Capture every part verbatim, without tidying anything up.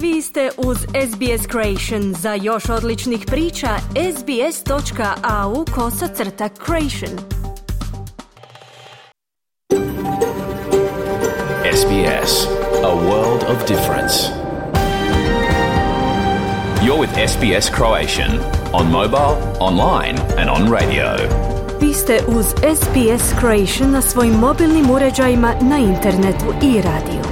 Vi ste uz S B S Creation. Za još odličnih priča, sbs.au kosacrta creation. S B S, a world of difference. You're with S B S Croatian on mobile, online and on radio. Vi ste uz S B S Creation na svojim mobilnim uređajima, na internetu i radiju.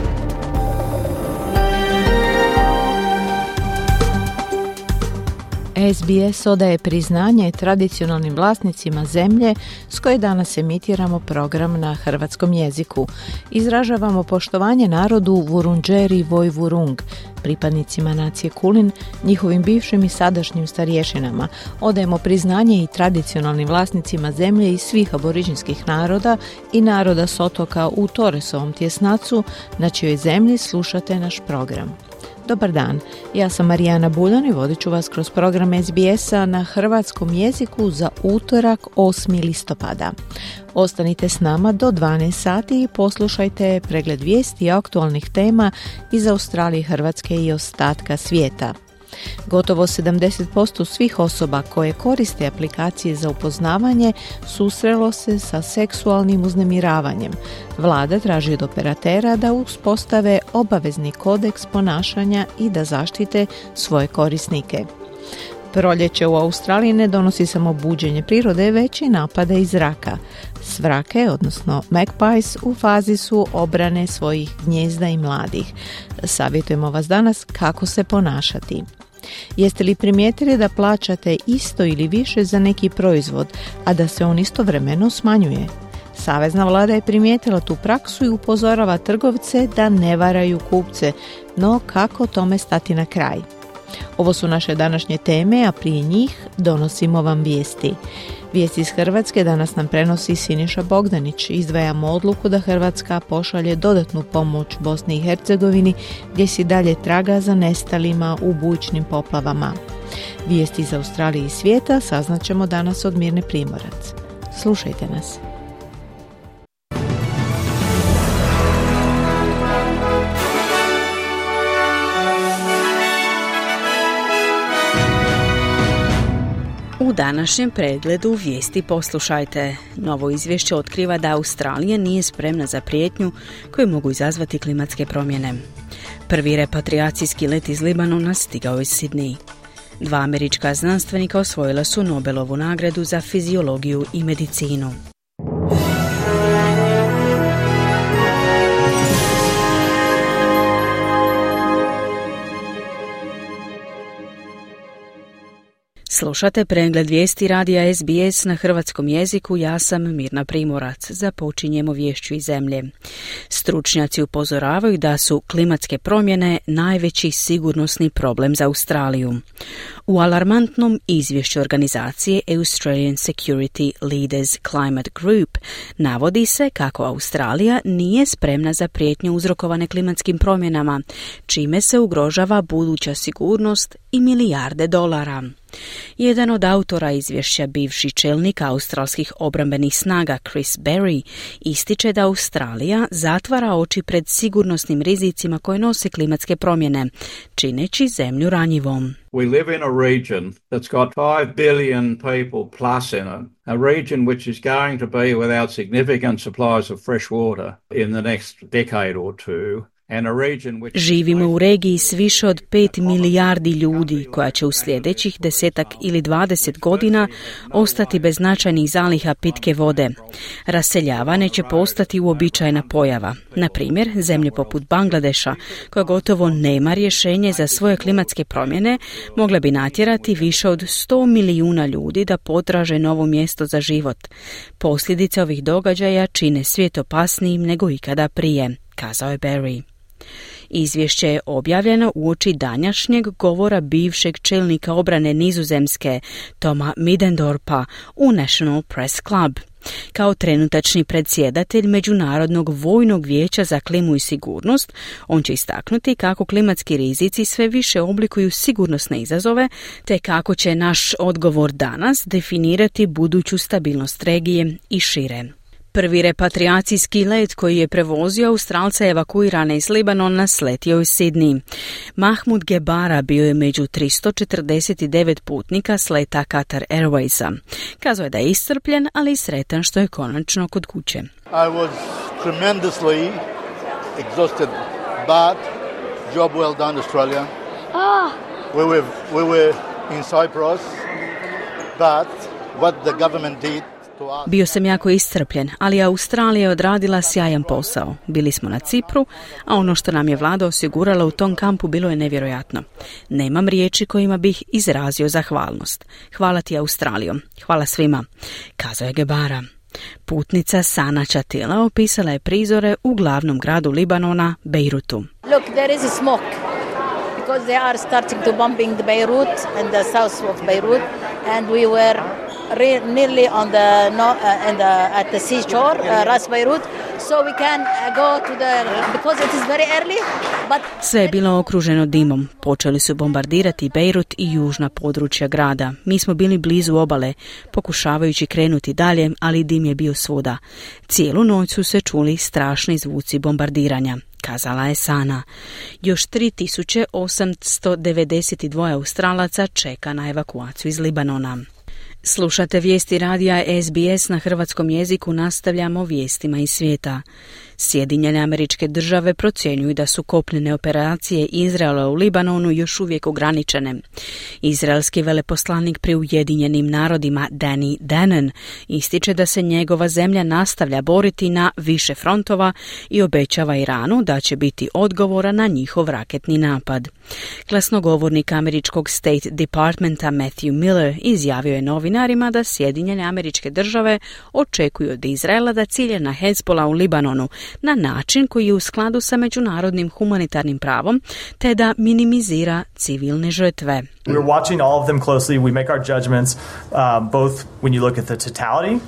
S B S odaje priznanje tradicionalnim vlasnicima zemlje s koje danas emitiramo program na hrvatskom jeziku. Izražavamo poštovanje narodu Vurundjeri Vojvurung, pripadnicima nacije Kulin, njihovim bivšim i sadašnjim starješinama. Odajemo priznanje i tradicionalnim vlasnicima zemlje iz svih aboriđinskih naroda i naroda s otoka u Torresovom tjesnacu, na čijoj zemlji slušate naš program. Dobar dan, ja sam Marijana Buljan i vodit ću vas kroz program S B S-a na hrvatskom jeziku za utorak osmi listopada. Ostanite s nama do dvanaest sati i poslušajte pregled vijesti i aktualnih tema iz Australije, Hrvatske i ostatka svijeta. Gotovo sedamdeset posto svih osoba koje koriste aplikacije za upoznavanje susrelo se sa seksualnim uznemiravanjem. Vlada traži od operatera da uspostave obavezni kodeks ponašanja i da zaštite svoje korisnike. Proljeće u Australiji ne donosi samo buđenje prirode, već i napade iz zraka. Svrake, odnosno magpies, u fazi su obrane svojih gnijezda i mladih. Savjetujemo vas danas kako se ponašati. Jeste li primijetili da plaćate isto ili više za neki proizvod, a da se on istovremeno smanjuje? Savezna vlada je primijetila tu praksu i upozorava trgovce da ne varaju kupce, no kako tome stati na kraj? Ovo su naše današnje teme, a prije njih donosimo vam vijesti. Vijesti iz Hrvatske danas nam prenosi Siniša Bogdanić. Izdvajamo odluku da Hrvatska pošalje dodatnu pomoć Bosni i Hercegovini, gdje si dalje traga za nestalima u bujičnim poplavama. Vijesti iz Australije i svijeta saznaćemo danas od Mirne Primorac. Slušajte nas. U današnjem pregledu vijesti poslušajte. Novo izvješće otkriva da Australija nije spremna za prijetnju koju mogu izazvati klimatske promjene. Prvi repatriacijski let iz Libanona stigao iz Sidney. Dva američka znanstvenika osvojila su Nobelovu nagradu za fiziologiju i medicinu. Slušate pregled vijesti radija S B S na hrvatskom jeziku, ja sam Mirna Primorac. Započinjemo viješću iz zemlje. Stručnjaci upozoravaju da su klimatske promjene najveći sigurnosni problem za Australiju. U alarmantnom izvješću organizacije Australian Security Leaders Climate Group navodi se kako Australija nije spremna za prijetnje uzrokovane klimatskim promjenama, čime se ugrožava buduća sigurnost i milijarde dolara. Jedan od autora izvješća, bivši čelnik australskih obrambenih snaga Chris Berry, ističe da Australija zatvara oči pred sigurnosnim rizicima koje nose klimatske promjene, čineći zemlju ranjivom. We live in a region that's got five billion people plus in it, a region which is going to be without significant supplies of fresh water in the next decade or two. Živimo u regiji s više od pet milijardi ljudi koja će u sljedećih desetak ili dvadeset godina ostati bez značajnih zaliha pitke vode. Raseljavanje će postati uobičajena pojava. Na primjer, zemlje poput Bangladeša, koja gotovo nema rješenje za svoje klimatske promjene, mogla bi natjerati više od sto milijuna ljudi da potraže novo mjesto za život. Posljedice ovih događaja čine svijet opasnijim nego ikada prije, kazao je Berry. Izvješće je objavljeno uoči današnjeg govora bivšeg čelnika obrane Nizozemske, Toma Middendorpa, u National Press Club. Kao trenutačni predsjedatelj Međunarodnog vojnog vijeća za klimu i sigurnost, on će istaknuti kako klimatski rizici sve više oblikuju sigurnosne izazove, te kako će naš odgovor danas definirati buduću stabilnost regije i šire. Prvi repatriacijski let koji je prevozio Australce evakuirane iz Libanona sletio iz Sidney. Mahmud Gebara bio je među tristo četrdeset devet putnika s leta Qatar Airwaysa. Kazao je da je iscrpljen, ali i sretan što je konačno kod kuće. I was tremendously exhausted, but job well done, Australia. Ah. We were, we were in Cyprus, but what the government did. Bio sam jako iscrpljen, ali Australija je odradila sjajan posao. Bili smo na Cipru, a ono što nam je vlada osigurala u tom kampu bilo je nevjerojatno. Nemam riječi kojima bih izrazio zahvalnost. Hvala ti, Australijo. Hvala svima, kazao je Gebara. Putnica Sana Chatila opisala je prizore u glavnom gradu Libanona, Beirutu. Look, there is a smoke because they are starting to bombing the Beirut and the south of Beirut, and we were re- nearly on the no, uh, and the, at the seashore, uh, Ras Beirut, so we can uh, go to the because it is very early. But sve je bilo okruženo dimom. Počeli su bombardirati Beirut i južna područja grada. Mi smo bili blizu obale, pokušavajući krenuti dalje, ali dim je bio svuda. Cijelu noć su se čuli strašni zvuci bombardiranja, kazala je Sana. Još tri tisuće osamsto devedeset dva Australaca čeka na evakuaciju iz Libanona. Slušate vijesti radija S B S na hrvatskom jeziku, nastavljamo vijestima iz svijeta. Sjedinjene Američke Države procjenjuju da su kopnene operacije Izraela u Libanonu još uvijek ograničene. Izraelski veleposlanik pri Ujedinjenim narodima Danny Danon ističe da se njegova zemlja nastavlja boriti na više frontova i obećava Iranu da će biti odgovora na njihov raketni napad. Glasnogovornik američkog State Departmenta Matthew Miller izjavio je novinarima da Sjedinjene Američke Države očekuju od Izraela da cilje na Hezbollah u Libanonu na način koji je u skladu sa međunarodnim humanitarnim pravom, te da minimizira civilne žrtve. We're watching all of them closely. We make our judgments um, both when you look at the totality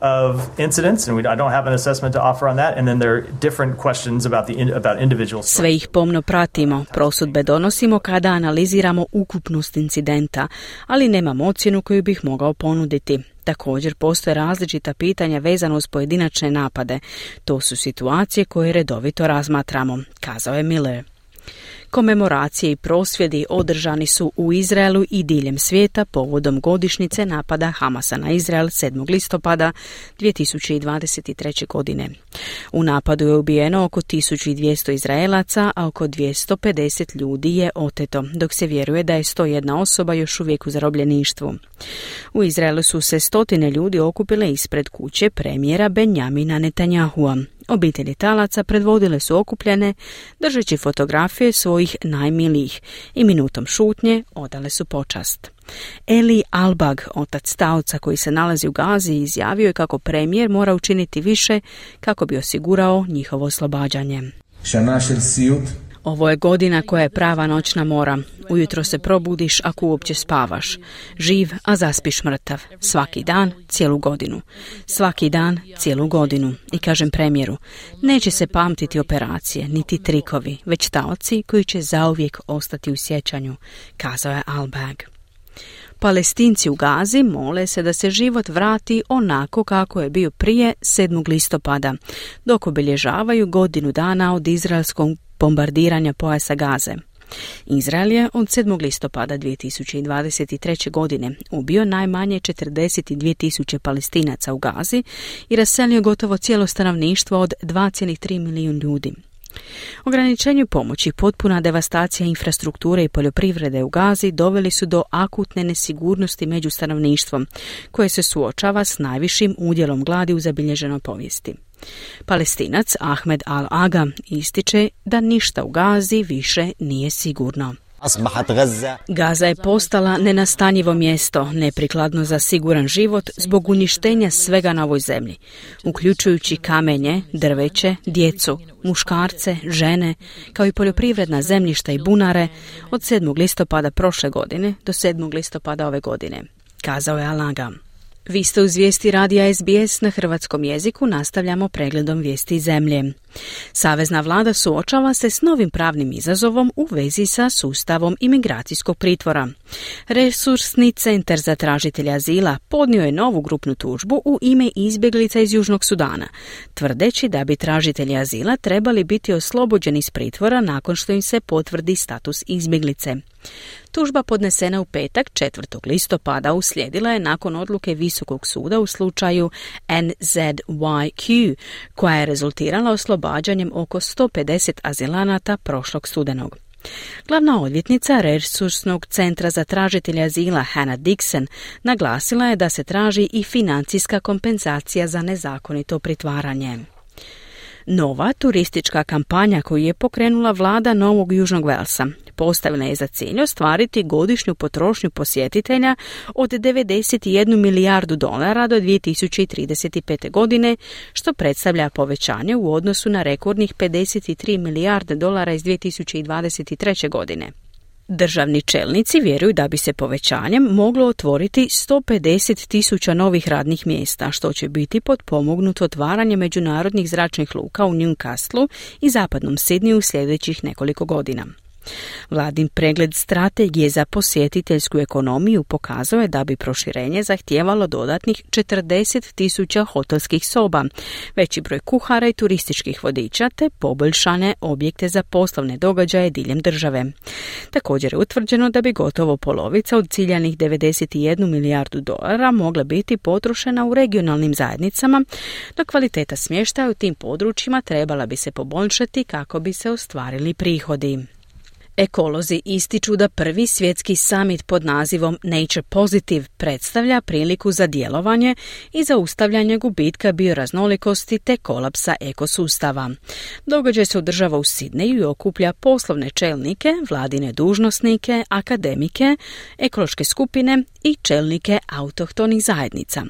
of incidents, and we, I don't have an assessment to offer on that, and then there are different questions about the in, about individual. Sve ih pomno pratimo, prosudbe donosimo kada analiziramo ukupnost incidenta, ali nemam ocjenu koju bih mogao ponuditi. Također postoje različita pitanja vezano uz pojedinačne napade. To su situacije koje redovito razmatramo, kazao je Miller. Komemoracije i prosvjedi održani su u Izraelu i diljem svijeta povodom godišnjice napada Hamasa na Izrael sedmog listopada dvije tisuće dvadeset treće. godine. U napadu je ubijeno oko tisuću dvjesto Izraelaca, a oko dvjesto pedeset ljudi je oteto, dok se vjeruje da je sto jedna osoba još uvijek u zarobljeništvu. U Izraelu su se stotine ljudi okupile ispred kuće premijera Benjamina Netanyahua. Obitelji talaca predvodile su okupljene, držeći fotografije svojih najmilijih i minutom šutnje odale su počast. Eli Albag, otac taoca koji se nalazi u Gazi, izjavio je kako premijer mora učiniti više kako bi osigurao njihovo oslobađanje. Ovo je godina koja je prava noćna mora. Ujutro se probudiš ako uopće spavaš. Živ, a zaspiš mrtav. Svaki dan, cijelu godinu. Svaki dan, cijelu godinu. I kažem premijeru, neće se pamtiti operacije, niti trikovi, već taoci koji će zauvijek ostati u sjećanju, kazao je Albag. Palestinci u Gazi mole se da se život vrati onako kako je bio prije sedmog listopada, dok obilježavaju godinu dana od izraelskog bombardiranja pojasa Gaze. Izrael je od sedmog listopada dvije tisuće dvadeset treće. godine ubio najmanje četrdeset dvije tisuće Palestinaca u Gazi i raselio gotovo cijelo stanovništvo od dva zarez tri milijuna ljudi. Ograničenju pomoći, potpuna devastacija infrastrukture i poljoprivrede u Gazi doveli su do akutne nesigurnosti među stanovništvom, koje se suočava s najvišim udjelom gladi u zabilježenoj povijesti. Palestinac Ahmed Al-Aga ističe da ništa u Gazi više nije sigurno. Gaza je postala nenastanjivo mjesto, neprikladno za siguran život zbog uništenja svega na ovoj zemlji, uključujući kamenje, drveće, djecu, muškarce, žene, kao i poljoprivredna zemljišta i bunare od sedmog listopada prošle godine do sedmog listopada ove godine, kazao je Al-Aga. Vi ste uz vijesti radija S B S na hrvatskom jeziku, nastavljamo pregledom vijesti zemlje. Savezna vlada suočava se s novim pravnim izazovom u vezi sa sustavom imigracijskog pritvora. Resursni centar za tražitelja azila podnio je novu grupnu tužbu u ime izbjeglica iz Južnog Sudana, tvrdeći da bi tražitelji azila trebali biti oslobođeni iz pritvora nakon što im se potvrdi status izbjeglice. Tužba podnesena u petak četvrtog listopada uslijedila je nakon odluke Visokog suda u slučaju N Z Y Q, koja je rezultirala oslobađanjem oko sto pedeset azilanata prošlog studenog. Glavna odvjetnica Resursnog centra za tražitelja azila Hannah Dixon naglasila je da se traži i financijska kompenzacija za nezakonito pritvaranje. Nova turistička kampanja koju je pokrenula vlada Novog Južnog Velsa postavila je za cilj ostvariti godišnju potrošnju posjetitelja od devedeset jednu milijardu dolara do dvije tisuće trideset pete. godine, što predstavlja povećanje u odnosu na rekordnih pedeset tri milijarde dolara iz dvije tisuće dvadeset treće. godine. Državni čelnici vjeruju da bi se povećanjem moglo otvoriti sto pedeset tisuća novih radnih mjesta, što će biti potpomognuto otvaranje međunarodnih zračnih luka u Newcastlu i zapadnom Sidneyu u sljedećih nekoliko godina. Vladin pregled strategije za posjetiteljsku ekonomiju pokazao je da bi proširenje zahtijevalo dodatnih četrdeset tisuća hotelskih soba, veći broj kuhara i turističkih vodiča te poboljšane objekte za poslovne događaje diljem države. Također je utvrđeno da bi gotovo polovica od ciljanih devedeset jednu milijardu dolara mogla biti potrošena u regionalnim zajednicama, dok kvaliteta smještaja u tim područjima trebala bi se poboljšati kako bi se ostvarili prihodi. Ekolozi ističu da prvi svjetski summit pod nazivom Nature Positive predstavlja priliku za djelovanje i zaustavljanje gubitka bioraznolikosti te kolapsa ekosustava. Događaj se održava u Sidneju i okuplja poslovne čelnike, vladine dužnosnike, akademike, ekološke skupine i čelnike autohtonih zajednica.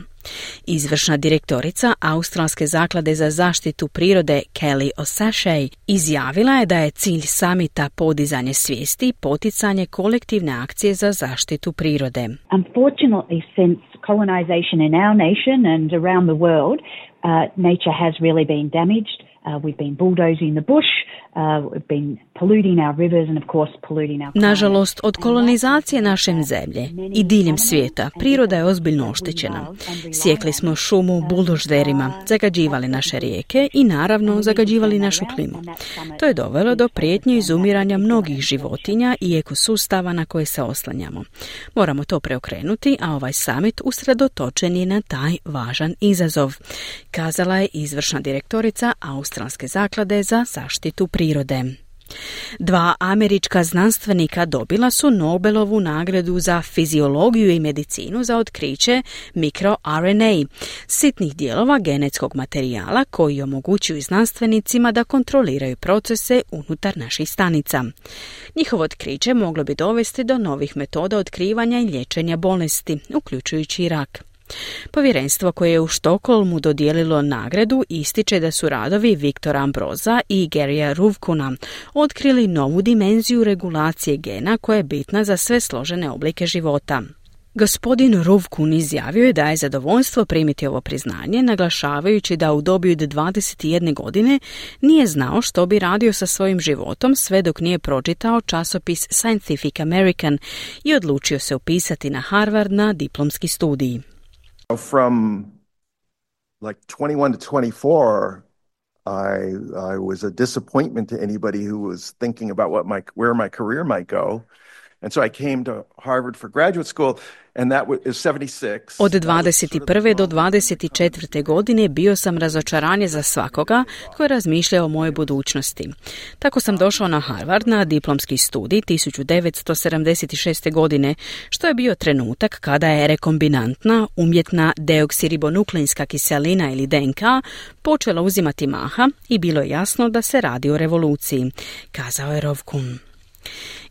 Izvršna direktorica Australske zaklade za zaštitu prirode Kelly O'Sashey izjavila je da je cilj samita podizanje svijesti i poticanje kolektivne akcije za zaštitu prirode. Unfortunately, since colonization in our nation and around the world, uh, nature has really been damaged. Uh, we've been bulldozing the bush, uh, we've been polluting our rivers and of course polluting our climate. Nažalost, od kolonizacije naše zemlje i diljem svijeta priroda je ozbiljno oštećena. Sjekli smo šumu buldožderima, zagađivali naše rijeke i naravno zagađivali našu klimu. To je dovelo do prijetnje izumiranja mnogih životinja i ekosustava na koje se oslanjamo. Moramo to preokrenuti, a ovaj summit usredotočen je na taj važan izazov, kazala je izvršna direktorica Australske zaklade za zaštitu prirode. Dva američka znanstvenika dobila su Nobelovu nagradu za fiziologiju i medicinu za otkriće mikroR N A, sitnih dijelova genetskog materijala koji omogućuju znanstvenicima da kontroliraju procese unutar naših stanica. Njihovo otkriće moglo bi dovesti do novih metoda otkrivanja i liječenja bolesti, uključujući i rak. Povjerenstvo koje je u Štokholmu dodijelilo nagradu ističe da su radovi Viktora Ambroza i Garyja Ruvkuna otkrili novu dimenziju regulacije gena koja je bitna za sve složene oblike života. Gospodin Ruvkun izjavio je da je zadovoljstvo primiti ovo priznanje, naglašavajući da u dobi od dvadeset jedne godine nije znao što bi radio sa svojim životom sve dok nije pročitao časopis Scientific American i odlučio se upisati na Harvard na diplomski studij. From like twenty-one to twenty-four, I I was a disappointment to anybody who was thinking about what my where my career might go. And so I came to Harvard for graduate school, and that is seventy-six. Od dvadeset prve do dvadeset četvrte godine bio sam razočaranje za svakoga tko je razmišljao o mojoj budućnosti. Tako sam došao na Harvard na diplomski studij tisuću devetsto sedamdeset šeste. godine, što je bio trenutak kada je rekombinantna umjetna deoksiribonukleinska kiselina ili D N K počela uzimati maha i bilo je jasno da se radi o revoluciji, kazao je Ruvkun.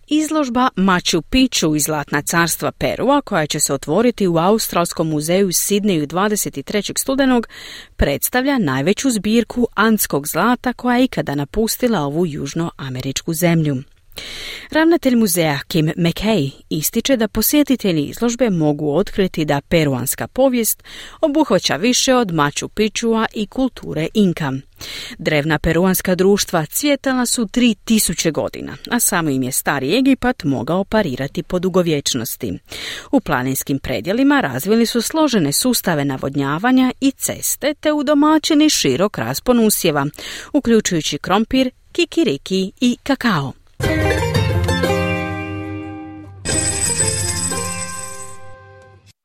Izložba Machu Picchu iz Zlatna carstva Perua, koja će se otvoriti u Australskom muzeju u Sidneju dvadeset trećeg studenog, predstavlja najveću zbirku andskog zlata koja je ikada napustila ovu južnoameričku zemlju. Ravnatelj muzeja Kim McKay ističe da posjetitelji izložbe mogu otkriti da peruanska povijest obuhvaća više od Machu Picchua i kulture Inka. Drevna peruanska društva cvjetala su tri tisuće godina, a samo im je stari Egipat mogao parirati po dugovječnosti. U planinskim predjelima razvili su složene sustave navodnjavanja i ceste te udomaćeni širok raspon usjeva, uključujući krompir, kikiriki i kakao.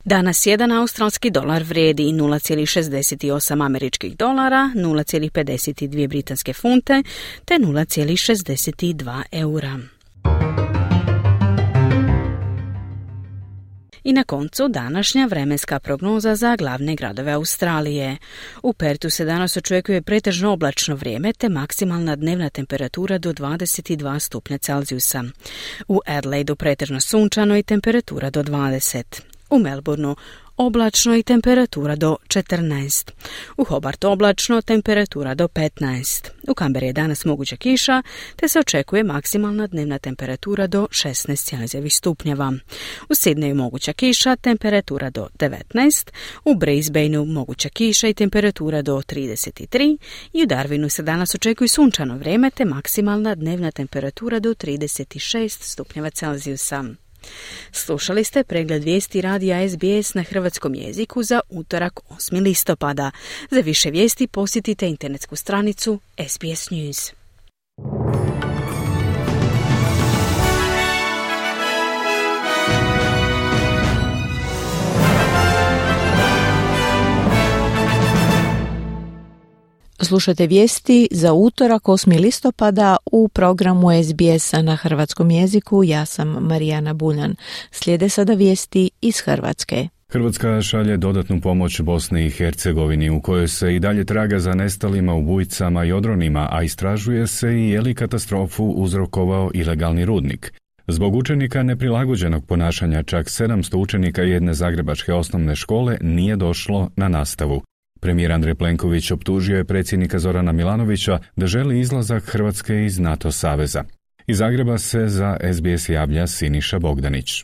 Danas jedan australski dolar vrijedi nula zarez šezdeset osam američkih dolara, nula zarez pedeset dvije britanske funte te nula zarez šezdeset dva eura. I na koncu današnja vremenska prognoza za glavne gradove Australije. U Pertu se danas očekuje pretežno oblačno vrijeme te maksimalna dnevna temperatura do dvadeset dva stupnja Celzijusa. U Adelaidu pretežno sunčano i temperatura do dvadeset. U Melbourneu oblačno i temperatura do četrnaest. U Hobartu oblačno, temperatura do petnaest. U Kamberi je danas moguća kiša, te se očekuje maksimalna dnevna temperatura do šesnaest Celzijevih stupnjeva. U Sidneju moguća kiša, temperatura do devetnaest. U Brisbaneu moguća kiša i temperatura do trideset tri. I u Darwinu se danas očekuje sunčano vrijeme, te maksimalna dnevna temperatura do trideset šest stupnjeva Celzijusa. Slušali ste pregled vijesti radija S B S na hrvatskom jeziku za utorak osmog listopada. Za više vijesti posjetite internetsku stranicu S B S News. Slušajte vijesti za utorak osmog listopada u programu S B S-a na hrvatskom jeziku. Ja sam Marijana Buljan. Slijede sada vijesti iz Hrvatske. Hrvatska šalje dodatnu pomoć Bosni i Hercegovini u kojoj se i dalje traga za nestalima, ubojicama i odronima, a istražuje se i je li katastrofu uzrokovao ilegalni rudnik. Zbog učenika neprilagođenog ponašanja čak sedamsto učenika jedne zagrebačke osnovne škole nije došlo na nastavu. Premijer Andrej Plenković optužio je predsjednika Zorana Milanovića da želi izlazak Hrvatske iz NATO saveza. Iz Zagreba se za S B S javlja Siniša Bogdanić.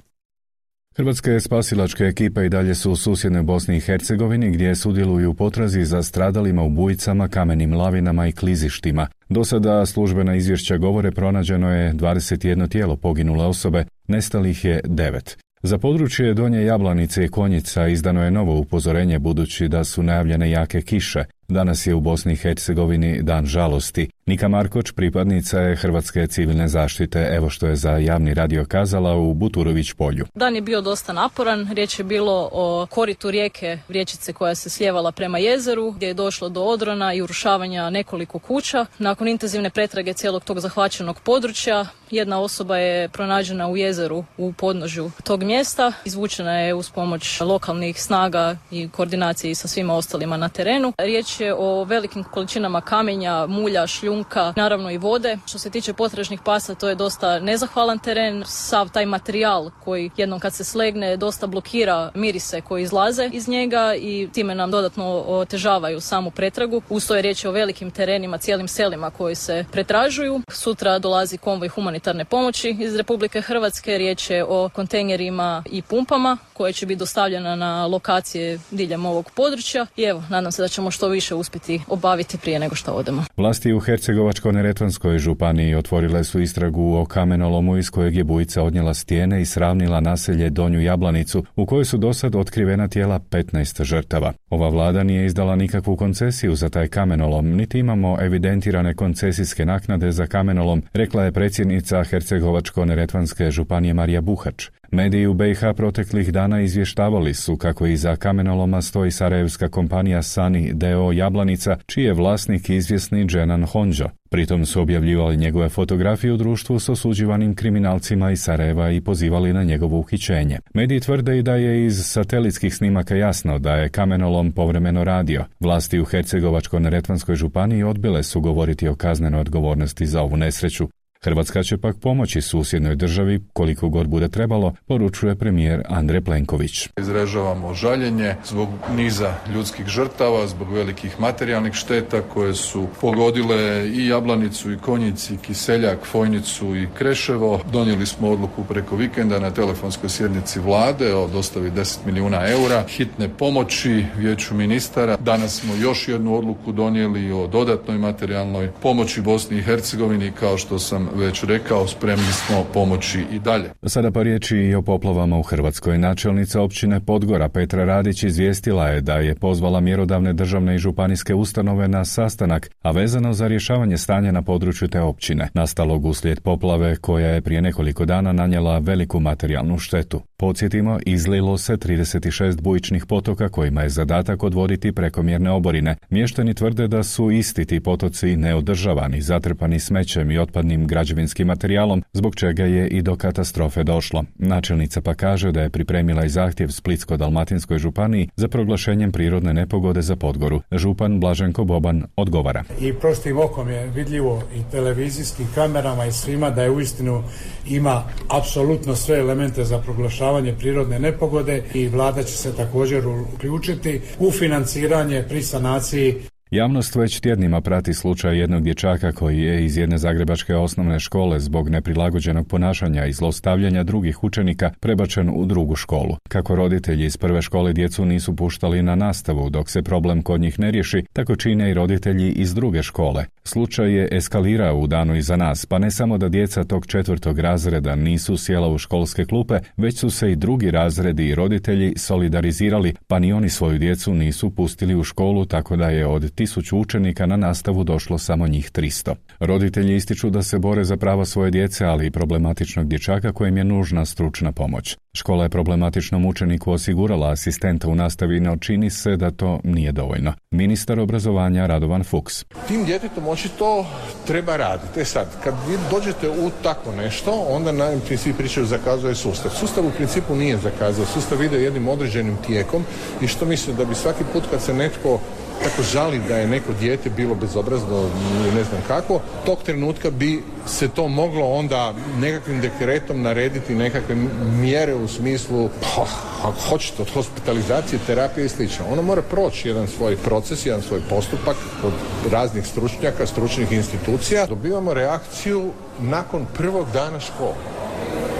Hrvatske spasilačke ekipe i dalje su u susjednoj Bosni i Hercegovini gdje sudjeluju u potrazi za stradalima, ubojicama, kamenim lavinama i klizištima. Do sada službena izvješća govore pronađeno je dvadeset jedno tijelo poginule osobe, nestalih je devet. Za područje Donje Jablanice i Konjica izdano je novo upozorenje budući da su najavljene jake kiše. Danas je u Bosni i Hercegovini dan žalosti. Nika Markoč, pripadnica je Hrvatske civilne zaštite, evo što je za javni radio kazala u Buturović polju. Dan je bio dosta naporan, riječ je bilo o koritu rijeke, riječice koja se slijevala prema jezeru, gdje je došlo do odrona i urušavanja nekoliko kuća. Nakon intenzivne pretrage cijelog tog zahvaćenog područja, jedna osoba je pronađena u jezeru u podnožju tog mjesta. Izvučena je uz pomoć lokalnih snaga i koordinaciji sa svima ostalima na terenu. Riječ je o velikim količinama kamenja, mulja, šljunka, naravno i vode. Što se tiče potražnih pasa, to je dosta nezahvalan teren. Sav taj materijal koji jednom kad se slegne dosta blokira mirise koji izlaze iz njega i time nam dodatno otežavaju samu pretragu. Uz to je riječ o velikim terenima, cijelim selima koji se pretražuju. Sutra dolazi konvoj humanitarne pomoći iz Republike Hrvatske. Riječ je o kontejnerima i pumpama koje će biti dostavljena na lokacije diljem ovog područja. I evo, nadam se da ćemo što više uspjeti obaviti prije nego što odemo. Vlasti u Hercegovačko-neretvanskoj županiji otvorile su istragu o kamenolomu iz kojeg je bujica odnijela stijene i sravnila naselje Donju Jablanicu, u kojoj su dosad otkrivena tijela petnaest žrtava. Ova vlada nije izdala nikakvu koncesiju za taj kamenolom, niti imamo evidentirane koncesijske naknade za kamenolom, rekla je predsjednica Hercegovačko-neretvanske županije Marija Buhač. Mediji u B i H proteklih dana izvještavali su kako iza kamenoloma stoji sarajevska kompanija Sani D O Jablanica, čiji je vlasnik izvjesni Dženan Honđo. Pritom su objavljivali njegove fotografije u društvu s osuđivanim kriminalcima iz Sarajeva i pozivali na njegovo uhićenje. Mediji tvrde i da je iz satelitskih snimaka jasno da je kamenolom povremeno radio. Vlasti u Hercegovačko-neretvanskoj županiji odbile su govoriti o kaznenoj odgovornosti za ovu nesreću. Hrvatska će pak pomoći susjednoj državi koliko god bude trebalo, poručuje premijer Andrej Plenković. Izražavamo žaljenje zbog niza ljudskih žrtava, zbog velikih materijalnih šteta koje su pogodile i Jablanicu, i Konjic, i Kiseljak, Fojnicu i Kreševo. Donijeli smo odluku preko vikenda na telefonskoj sjednici vlade o dostavi deset milijuna eura hitne pomoći Vijeću ministara. Danas smo još jednu odluku donijeli o dodatnoj materijalnoj pomoći Bosni i Hercegovini. Kao što sam već rekao, spremni smo pomoći i dalje. Sada pa riječi i o poplavama u Hrvatskoj. Načelnica općine Podgora Petra Radić izvijestila je da je pozvala mjerodavne državne i županijske ustanove na sastanak, a vezano za rješavanje stanja na području te općine, nastalog uslijed poplave koja je prije nekoliko dana nanijela veliku materijalnu štetu. Podsjetimo, izlilo se trideset šest bujičnih potoka kojima je zadatak odvoditi prekomjerne oborine. Mještani tvrde da su isti ti potoci neodržavani, zatrpani smećem i otpadnim građevinskim materijalom, zbog čega je i do katastrofe došlo. Načelnica pa kaže da je pripremila i zahtjev Splitsko-dalmatinskoj županiji za proglašenjem prirodne nepogode za Podgoru. Župan Blaženko Boban odgovara. I prostim okom je vidljivo i televizijskim kamerama i svima da je uistinu ima apsolutno sve elemente za proglašavanje prirodne nepogode i vlada će se također uključiti u financiranje pri sanaciji. Javnost već tjednima prati slučaj jednog dječaka koji je iz jedne zagrebačke osnovne škole zbog neprilagođenog ponašanja i zlostavljanja drugih učenika prebačen u drugu školu. Kako roditelji iz prve škole djecu nisu puštali na nastavu dok se problem kod njih ne riješi, tako čine i roditelji iz druge škole. Slučaj je eskalirao u danu iza nas, pa ne samo da djeca tog četvrtog razreda nisu sjela u školske klupe, već su se i drugi razredi i roditelji solidarizirali, pa ni oni svoju djecu nisu pustili u školu, tako da je od tisuću učenika na nastavu došlo samo njih tristo. Roditelji ističu da se bore za prava svoje djece, ali i problematičnog dječaka kojem je nužna stručna pomoć. Škola je problematičnom učeniku osigurala asistenta u nastavi, no čini se da to nije dovoljno. Ministar obrazovanja Radovan Fuchs. Tim djetetom očito treba raditi. E sad, kad vi dođete u tako nešto, onda najprije svi pričaju zakazuje sustav. Sustav u principu nije zakazao. Sustav ide jednim određenim tijekom i što mislim da bi svaki put kad se netko tako žali da je neko dijete bilo bezobrazno ili ne znam kako, tog trenutka bi se to moglo onda nekakvim dekretom narediti nekakve mjere u smislu, pa, ako hoćete, od hospitalizacije, terapije i slično. Ono mora proći jedan svoj proces, jedan svoj postupak od raznih stručnjaka, stručnih institucija. Dobivamo reakciju nakon prvog dana škole.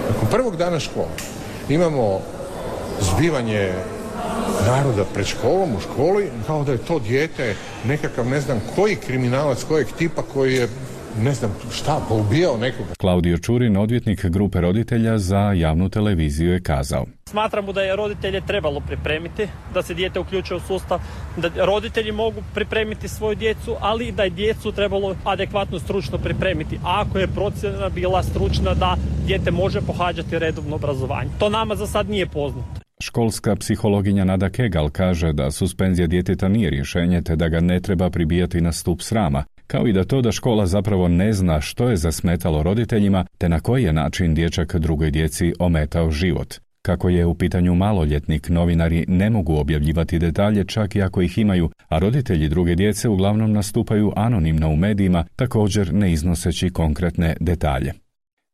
Nakon prvog dana škole imamo zbivanje naroda pred školom, u školi, kao da je to dijete nekakav ne znam koji kriminalac, kojeg tipa koji je ne znam šta, poubijao nekoga. Klaudio Čurin, odvjetnik grupe roditelja za javnu televiziju, je kazao. Smatramo da je roditelje trebalo pripremiti, da se dijete uključuje u sustav, da roditelji mogu pripremiti svoju djecu, ali da je djecu trebalo adekvatno stručno pripremiti. A ako je procjena bila stručna da dijete može pohađati redovno obrazovanje. To nama za sad nije poznato. Školska psihologinja Nada Kegal kaže da suspenzija djeteta nije rješenje te da ga ne treba pribijati na stup srama, kao i da to da škola zapravo ne zna što je zasmetalo roditeljima te na koji je način dječak drugoj djeci ometao život. Kako je u pitanju maloljetnik, novinari ne mogu objavljivati detalje čak i ako ih imaju, a roditelji druge djece uglavnom nastupaju anonimno u medijima, također ne iznoseći konkretne detalje.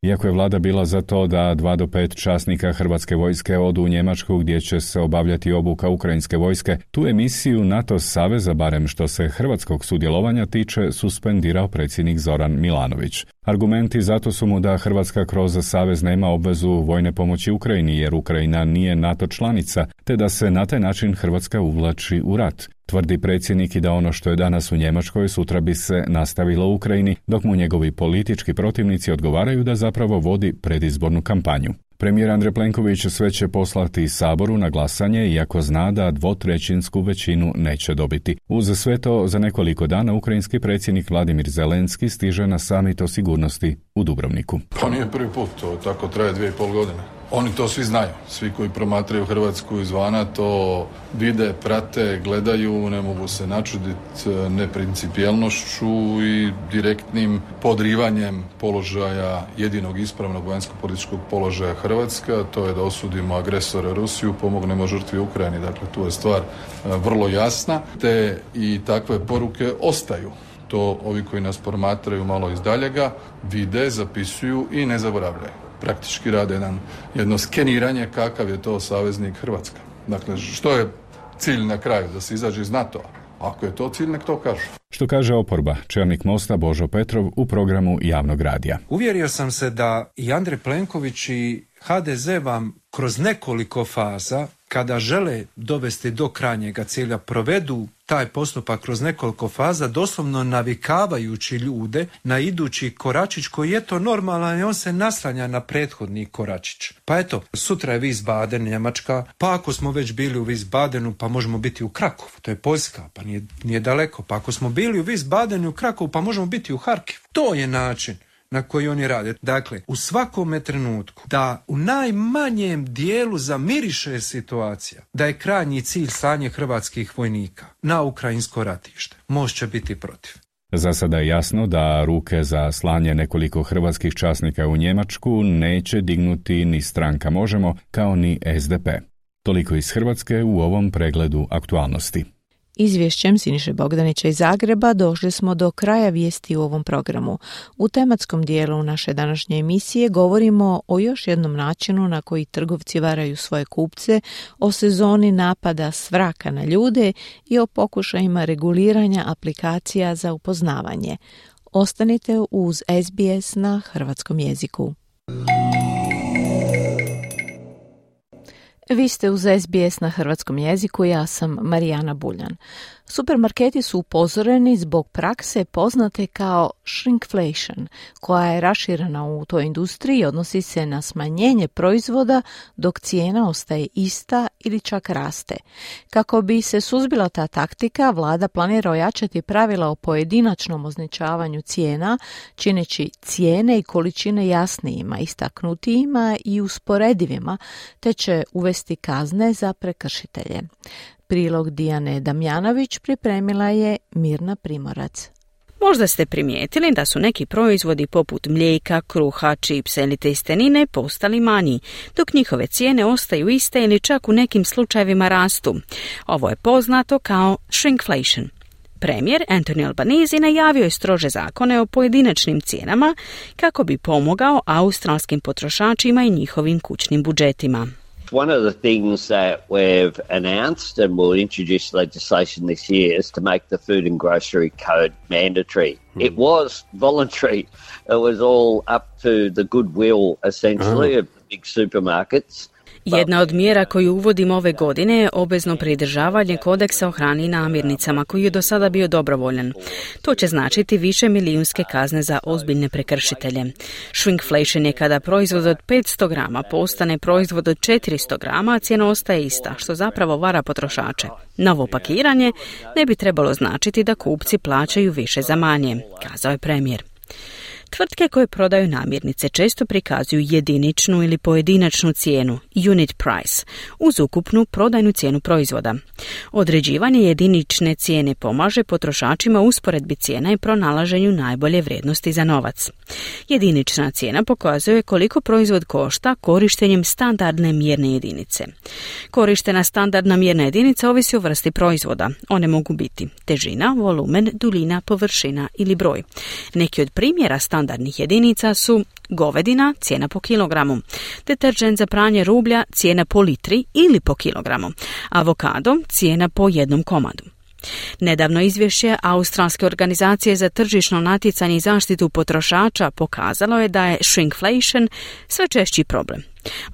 Iako je vlada bila za to da dva do pet časnika hrvatske vojske odu u Njemačku gdje će se obavljati obuka ukrajinske vojske, tu emisiju NATO saveza, barem što se hrvatskog sudjelovanja tiče, suspendirao predsjednik Zoran Milanović. Argumenti zato su mu da Hrvatska kroz savez nema obvezu vojne pomoći Ukrajini jer Ukrajina nije NATO članica, te da se na taj način Hrvatska uvlači u rat. Tvrdi predsjednik i da ono što je danas u Njemačkoj sutra bi se nastavilo u Ukrajini, dok mu njegovi politički protivnici odgovaraju da zapravo vodi predizbornu kampanju. Premijer Andrej Plenković sve će poslati Saboru na glasanje, iako zna da dvotrećinsku većinu neće dobiti. Uz sve to, za nekoliko dana ukrajinski predsjednik Vladimir Zelenski stiže na samit o sigurnosti u Dubrovniku. Pa nije prvi put, to tako traje dvije i pol godine. Oni to svi znaju, svi koji promatraju Hrvatsku izvana to vide, prate, gledaju, ne mogu se načuditi neprincipijelnošću i direktnim podrivanjem položaja jedinog ispravnog vanjsko-političkog položaja Hrvatske, to je da osudimo agresora Rusiju, pomognemo žrtvi Ukrajini. Dakle, tu je stvar vrlo jasna, te i takve poruke ostaju. To ovi koji nas promatraju malo izdaljega vide, zapisuju i ne zaboravljaju. Praktički rade jedan, jedno skeniranje kakav je to saveznik Hrvatska. Dakle, što je cilj na kraju? Da se izađe iz NATO-a? Ako je to cilj, nek to kažu. Što kaže oporba, čelnik Mosta Božo Petrov u programu javnog radija. Uvjerio sam se da i Andrej Plenković i ha de ze vam kroz nekoliko faza, kada žele dovesti do krajnjega cilja, provedu taj postupak kroz nekoliko faza, doslovno navikavajući ljude na idući koračić koji je to normalan i on se naslanja na prethodni koračić. Pa eto, sutra je Wiesbaden, Njemačka, pa ako smo već bili u Wiesbadenu, pa možemo biti u Krakovu, to je Poljska, pa nije, nije daleko, pa ako smo bili u Wiesbadenu i u Krakovu, pa možemo biti u Harkivu. To je način na koji oni rade. Dakle, u svakome trenutku da u najmanjem dijelu zamiriše situacija da je krajnji cilj slanje hrvatskih vojnika na ukrajinsko ratište, Most će biti protiv. Za sada je jasno da ruke za slanje nekoliko hrvatskih časnika u Njemačku neće dignuti ni stranka Možemo, kao ni es de pe. Toliko iz Hrvatske u ovom pregledu aktualnosti. Izvješćem Siniše Bogdanića iz Zagreba došli smo do kraja vijesti u ovom programu. U tematskom dijelu naše današnje emisije govorimo o još jednom načinu na koji trgovci varaju svoje kupce, o sezoni napada svraka na ljude i o pokušajima reguliranja aplikacija za upoznavanje. Ostanite uz es be es na hrvatskom jeziku. Vi ste uz es be es na hrvatskom jeziku, ja sam Marijana Buljan. Supermarketi su upozoreni zbog prakse poznate kao shrinkflation, koja je raširena u toj industriji i odnosi se na smanjenje proizvoda dok cijena ostaje ista ili čak raste. Kako bi se suzbila ta taktika, vlada planira ojačati pravila o pojedinačnom označavanju cijena, čineći cijene i količine jasnijima, istaknutijima i usporedivima, te će uvesti kazne za prekršitelje. Prilog Dijane Damjanović pripremila je Mirna Primorac. Možda ste primijetili da su neki proizvodi poput mlijeka, kruha, čipsa ili testenine postali manji, dok njihove cijene ostaju iste ili čak u nekim slučajevima rastu. Ovo je poznato kao shrinkflation. Premijer Anthony Albanese najavio je strože zakone o pojedinačnim cijenama kako bi pomogao australskim potrošačima i njihovim kućnim budžetima. One of the things that we've announced and will introduce legislation this year is to make the food and grocery code mandatory. Hmm. It was voluntary. It was all up to the goodwill, essentially, uh-huh. of the big supermarkets. Jedna od mjera koju uvodimo ove godine je obvezno pridržavanje kodeksa o hrani i namirnicama, koji je do sada bio dobrovoljan. To će značiti više milijunske kazne za ozbiljne prekršitelje. Shrinkflation je kada proizvod od petsto grama postane proizvod od četiristo grama, a cijena ostaje ista, što zapravo vara potrošače. Novo pakiranje ne bi trebalo značiti da kupci plaćaju više za manje, kazao je premijer. Tvrtke koje prodaju namirnice često prikazuju jediničnu ili pojedinačnu cijenu, unit price, uz ukupnu prodajnu cijenu proizvoda. Određivanje jedinične cijene pomaže potrošačima u usporedbi cijena i pronalaženju najbolje vrijednosti za novac. Jedinična cijena pokazuje koliko proizvod košta korištenjem standardne mjerne jedinice. Korištena standardna mjerna jedinica ovisi o vrsti proizvoda. One mogu biti težina, volumen, duljina, površina ili broj. Neki od primjera standardnih jedinica su govedina, cijena po kilogramu, deterđent za pranje rublja, cijena po litri ili po kilogramu, avokado, cijena po jednom komadu. Nedavno izvješće Australske organizacije za tržišno natjecanje i zaštitu potrošača pokazalo je da je shrinkflation sve češći problem.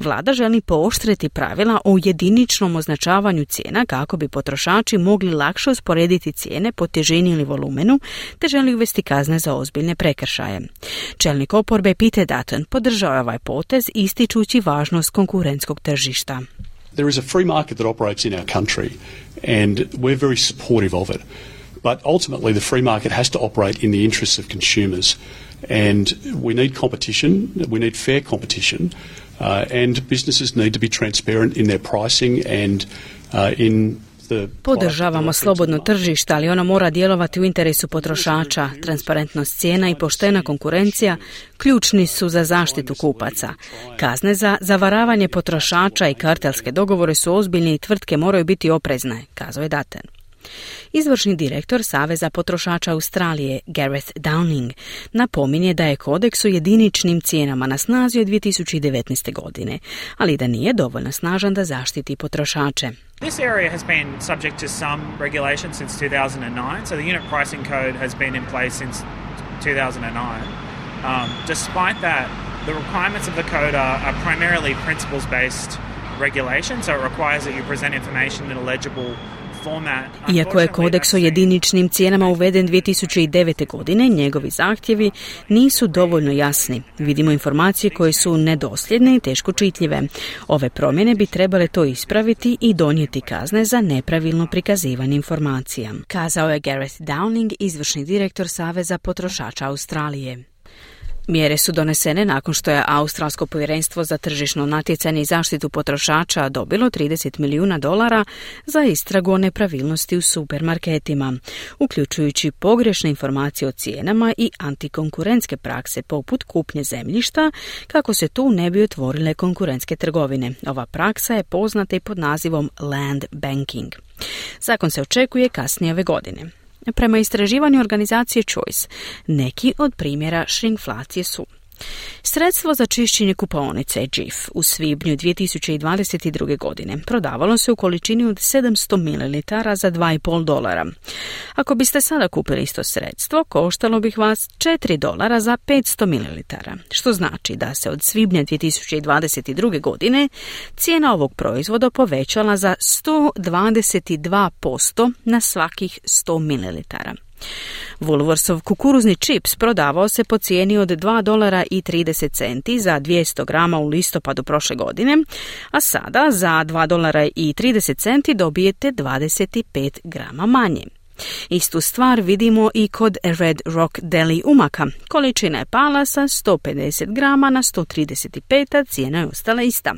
Vlada želi pooštriti pravila o jediničnom označavanju cijena kako bi potrošači mogli lakše usporediti cijene po težini ili volumenu, te želi uvesti kazne za ozbiljne prekršaje. Čelnik oporbe Peter Dutton podržao je ovaj potez ističući važnost konkurentskog tržišta. There is a free market that operates in our country and we're very supportive of it. But ultimately the free market has to operate in the interests of consumers and we need competition, we need fair competition uh, and businesses need to be transparent in their pricing and uh, in Podržavamo slobodno tržište, ali ono mora djelovati u interesu potrošača. Transparentnost cijena i poštena konkurencija ključni su za zaštitu kupaca. Kazne za zavaravanje potrošača i kartelske dogovore su ozbiljne i tvrtke moraju biti oprezne, kazao je Dutton. Izvršni direktor Saveza potrošača Australije, Gareth Downing, napominje da je kodeks o jediničnim cijenama na snazi od dvije tisuće devetnaeste. godine, ali da nije dovoljno snažan da zaštiti potrošače. This area has been subject to some regulation since two thousand nine, so the unit pricing code has been in place since two thousand nine. Um, despite that, the requirements of the code are, are primarily principles-based regulation, so it requires that you present information in a legible format. Iako je kodeks o jediničnim cijenama uveden dvije tisuće devete. godine, njegovi zahtjevi nisu dovoljno jasni. Vidimo informacije koje su nedosljedne i teško čitljive. Ove promjene bi trebale to ispraviti i donijeti kazne za nepravilno prikazivanje informacija, kazao je Gareth Downing, izvršni direktor Saveza potrošača Australije. Mjere su donesene nakon što je Australsko povjerenstvo za tržišno natjecanje i zaštitu potrošača dobilo trideset milijuna dolara za istragu o nepravilnosti u supermarketima, uključujući pogrešne informacije o cijenama i antikonkurentske prakse poput kupnje zemljišta kako se tu ne bi otvorile konkurentske trgovine. Ova praksa je poznata i pod nazivom land banking. Zakon se očekuje kasnije ove godine. Prema istraživanju organizacije Choice, neki od primjera šrinkflacije su: sredstvo za čišćenje kupaonice J I F u svibnju dvije tisuće dvadeset druge. godine prodavalo se u količini od sedamsto mililitara za dva i pol dolara. Ako biste sada kupili isto sredstvo, koštalo bih vas četiri dolara za petsto mililitara, što znači da se od svibnja dvije tisuće dvadeset druge. godine cijena ovog proizvoda povećala za sto dvadeset dva posto na svakih sto mililitara. Woolworthsov kukuruzni čips prodavao se po cijeni od dva dolara i trideset centi za dvjesto grama u listopadu prošle godine, a sada za dva dolara i trideset centi dobijete dvadeset pet grama manje. Istu stvar vidimo i kod Red Rock Deli umaka. Količina je pala sa sto pedeset grama na sto trideset pet, a cijena je ostala ista.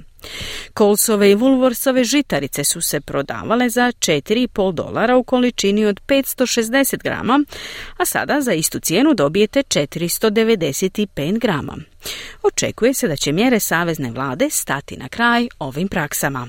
Colesove i Woolworthsove žitarice su se prodavale za četiri i pol dolara u količini od petsto šezdeset grama, a sada za istu cijenu dobijete četiristo devedeset pet grama. Očekuje se da će mjere savezne vlade stati na kraj ovim praksama.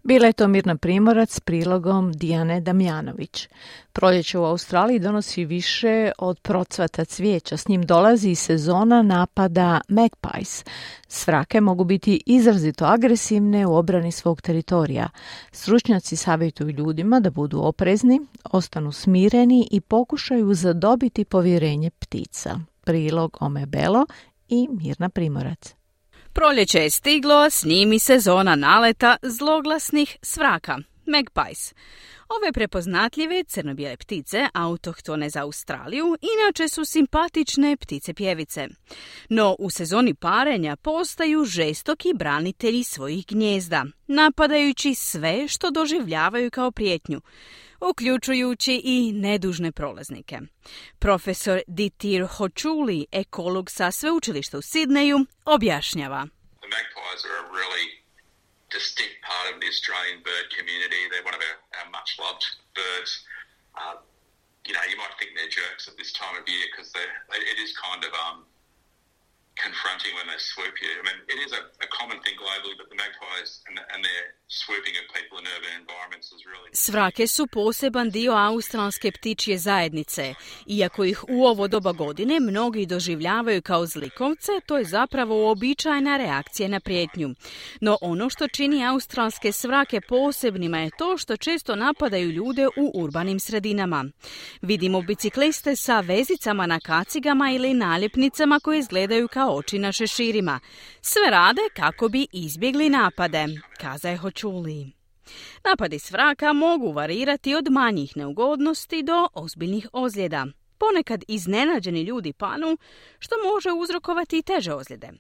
Bila je to Mirna Primorac s prilogom Dijane Damjanović. Proljeće u Australiji donosi više od procvata cvijeća. S njim dolazi i sezona napada magpies. Svrake mogu biti izrazito agresivne u obrani svog teritorija. Stručnjaci savjetuju ljudima da budu oprezni, ostanu smireni i pokušaju zadobiti povjerenje ptica. Prilog Ome Belo i Mirna Primorac. Proljeće je stiglo, s njim i sezona naleta zloglasnih svraka, magpies. Ove prepoznatljive crno-bijele ptice, autohtone za Australiju, inače su simpatične ptice pjevice. No u sezoni parenja postaju žestoki branitelji svojih gnijezda, napadajući sve što doživljavaju kao prijetnju, uključujući i nedužne prolaznike. Profesor Ditir Hochuli, ekolog sa sveučilišta u Sidneju, objašnjava. The magpies are a really distinct part of the Australian bird community. They're one of our, our much loved birds. Uh, you know, you might think they're jerks at this time of year because it is kind of um, confronting when they swoop you. I mean, it is a, a common thing globally, but the magpies and, and their swooping of people in urban environments is really... Svrake su poseban dio australske ptičje zajednice. Iako ih u ovo doba godine mnogi doživljavaju kao zlikovce, to je zapravo uobičajena reakcija na prijetnju. No ono što čini australske svrake posebnima je to što često napadaju ljude u urbanim sredinama. Vidimo bicikliste sa vezicama na kacigama ili naljepnicama koje izgledaju kao oči na šeširima. Sve rade kako bi izbjegli napade, kaza Hochuli. Napadi svraka mogu varirati od manjih neugodnosti do ozbiljnih ozljeda. Ponekad iznenađeni ljudi panu, što može uzrokovati i teže ozljede.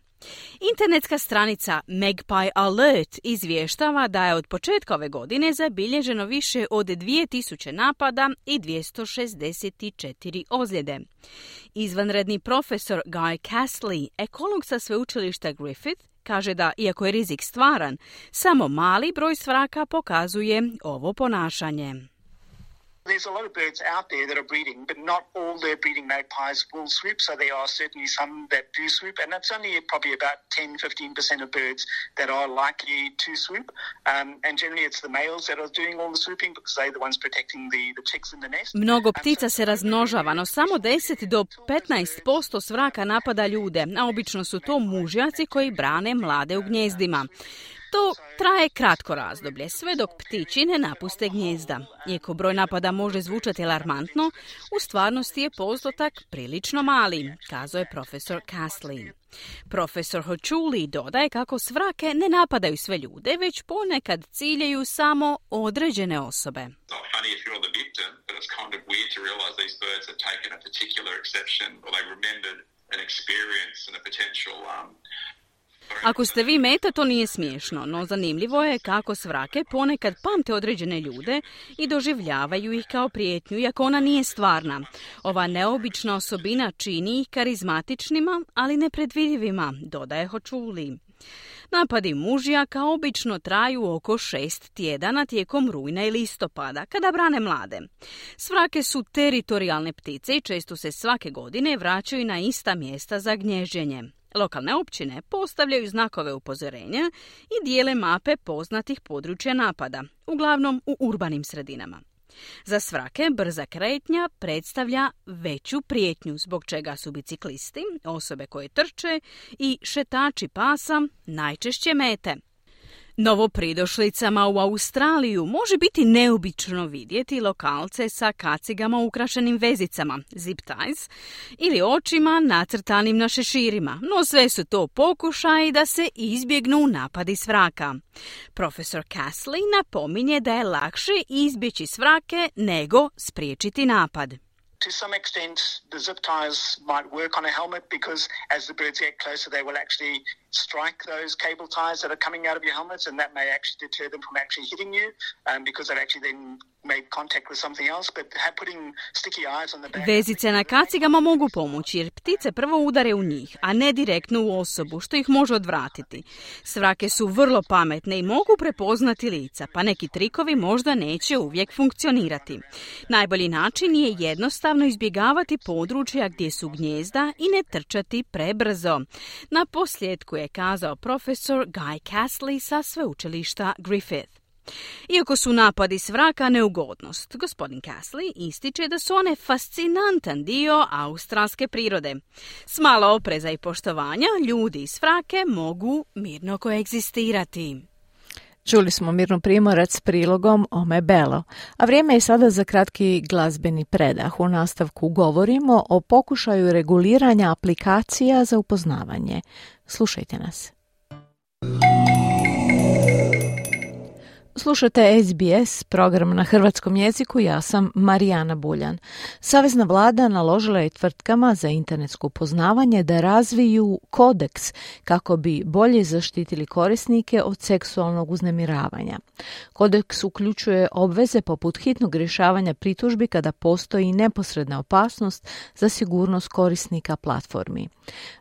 Internetska stranica Magpie Alert izvještava da je od početka ove godine zabilježeno više od dvije tisuće napada i dvjesto šezdeset četiri ozljede. Izvanredni profesor Guy Castley, ekolog sa sveučilišta Griffith, kaže da, iako je rizik stvaran, samo mali broj svraka pokazuje ovo ponašanje. There's a lot of birds out there that are breeding, but not all the breeding magpies will swoop, so there are certainly some that do swoop, and that's only probably about ten to fifteen percent of birds that are likely to swoop, um, and generally it's the males that are doing all the swooping because they're the ones protecting the, the chicks in the nest. Mnogo ptica se razmnožava, no samo deset do petnaest posto svraka napada ljude, a obično su to mužjaci koji brane mlade u gnijezdima. To traje kratko razdoblje, sve dok ptići ne napuste gnijezda. Iako broj napada može zvučati alarmantno, u stvarnosti je postotak prilično mali, kazao je profesor Castley. Profesor Hochuli dodaje kako svrake ne napadaju sve ljude, već ponekad ciljaju samo određene osobe. Ako ste vi meta, to nije smiješno, no zanimljivo je kako svrake ponekad pamte određene ljude i doživljavaju ih kao prijetnju, iako ona nije stvarna. Ova neobična osobina čini ih karizmatičnima, ali nepredvidivima, dodaje Hochuli. Napadi mužjaka obično traju oko šest tjedana tijekom rujna i listopada, kada brane mlade. Svrake su teritorijalne ptice i često se svake godine vraćaju na ista mjesta za gnježđenje. Lokalne općine postavljaju znakove upozorenja i dijele mape poznatih područja napada, uglavnom u urbanim sredinama. Za svrake brza kretnja predstavlja veću prijetnju, zbog čega su biciklisti, osobe koje trče i šetači pasa najčešće mete. Novopridošlicama u Australiju može biti neobično vidjeti lokalce sa kacigama ukrašenim vezicama, zip ties, ili očima nacrtanim na šeširima, no sve su to pokušaji da se izbjegnu napadi svraka. Profesor Castley napominje da je lakše izbjeći svrake nego spriječiti napad. To some extent, the zip ties might work on a helmet because as the birds get closer, they will actually strike those cable ties that are coming out of your helmets, and that may actually deter them from actually hitting you, um, because they've actually then made contact with something else. But putting sticky eyes on the back... Vezice na kacigama mogu pomoći jer ptice prvo udare u njih, a ne direktno u osobu, što ih može odvratiti. Svrake su vrlo pametne i mogu prepoznati lica, pa neki trikovi možda neće uvijek funkcionirati. Najbolji način je jednostavno izbjegavati područja gdje su gnijezda i ne trčati prebrzo. Na posljedku je kazao profesor Guy Castley sa sveučilišta Griffith. Iako su napadi svraka neugodnost, gospodin Castley ističe da su one fascinantan dio australske prirode. S malo opreza i poštovanja, ljudi i svrake mogu mirno koegzistirati. Čuli smo Mirnu Primorac s prilogom Ome Belo, a vrijeme je sada za kratki glazbeni predah. U nastavku govorimo o pokušaju reguliranja aplikacija za upoznavanje. Slušajte nas. Slušate S B S, program na hrvatskom jeziku, ja sam Marijana Buljan. Savezna vlada naložila je tvrtkama za internetsko upoznavanje da razviju kodeks kako bi bolje zaštitili korisnike od seksualnog uznemiravanja. Kodeks uključuje obveze poput hitnog rješavanja pritužbi kada postoji neposredna opasnost za sigurnost korisnika platformi.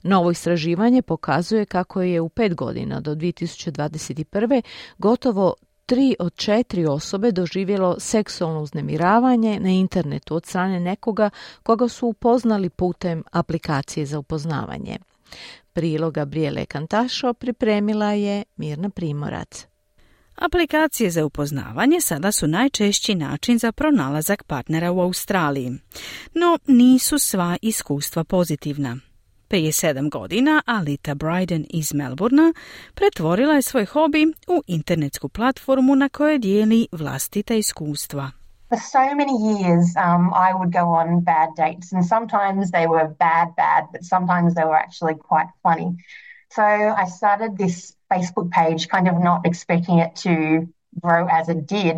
Novo istraživanje pokazuje kako je u pet godina do dvije tisuće dvadeset prve gotovo Tri od četiri osobe doživjelo seksualno uznemiravanje na internetu od strane nekoga koga su upoznali putem aplikacije za upoznavanje. Prilog Gabriele Kantašo pripremila je Mirna Primorac. Aplikacije za upoznavanje sada su najčešći način za pronalazak partnera u Australiji, no nisu sva iskustva pozitivna. Prije sedam godina Alita Bryden iz Melbournea pretvorila je svoj hobi u internetsku platformu na kojoj dijeli vlastita iskustva. For so many years, um, I would go on bad dates, and sometimes they were bad, bad, but sometimes they were actually quite funny. So I started this Facebook page, kind of not expecting it to grow as it did.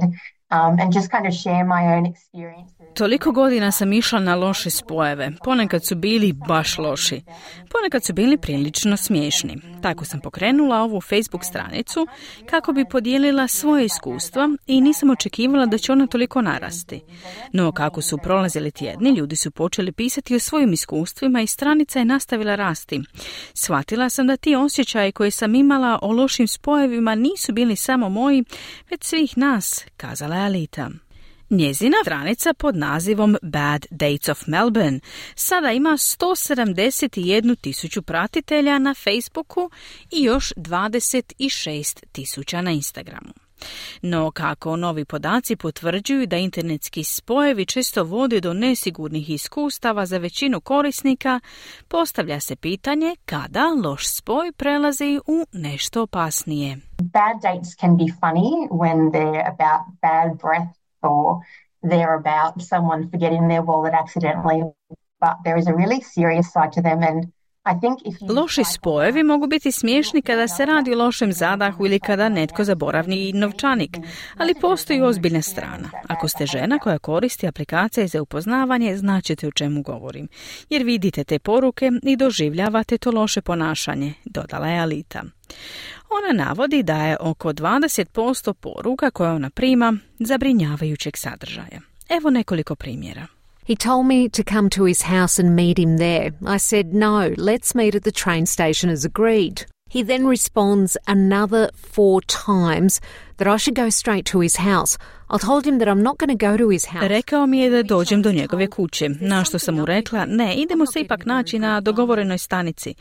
Um, and just kind of share my own experiences. Toliko godina sam išla na loše spojeve. Ponekad su bili baš loši. Ponekad su bili prilično smiješni. Tako sam pokrenula ovu Facebook stranicu kako bi podijelila svoje iskustva i nisam očekivala da će ona toliko narasti. No kako su prolazili tjedni, ljudi su počeli pisati o svojim iskustvima i stranica je nastavila rasti. Shvatila sam da ti osjećaji koje sam imala o lošim spojevima nisu bili samo moji, već svih nas, kazala je Alita. Njezina stranica pod nazivom Bad Dates of Melbourne sada ima sto sedamdeset jednu tisuću pratitelja na Facebooku i još dvadeset šest tisuća na Instagramu. No kako novi podaci potvrđuju da internetski spojevi često vode do nesigurnih iskustava za većinu korisnika, postavlja se pitanje kada loš spoj prelazi u nešto opasnije. Bad dates can be funny when they're about bad breath or they're about someone forgetting their wallet accidentally, but there is a really serious side to them and Loši spojevi mogu biti smiješni kada se radi o lošem zadahu ili kada netko zaboravi novčanik, ali postoji ozbiljna strana. Ako ste žena koja koristi aplikacije za upoznavanje, značite o čemu govorim, jer vidite te poruke i doživljavate to loše ponašanje, dodala je Alita. Ona navodi da je oko dvadeset posto poruka koje ona prima zabrinjavajućeg sadržaja. Evo nekoliko primjera. He told me to come to his house and meet him there. I said, no, let's meet at the train station as agreed. He then responds another four times that I should go straight to his house. I told him that I'm not going to go to his house. Rekao mi je da dođem do njegove kuće, na što sam mu rekla, ne, idemo se ipak naći na dogovorenoj stanici.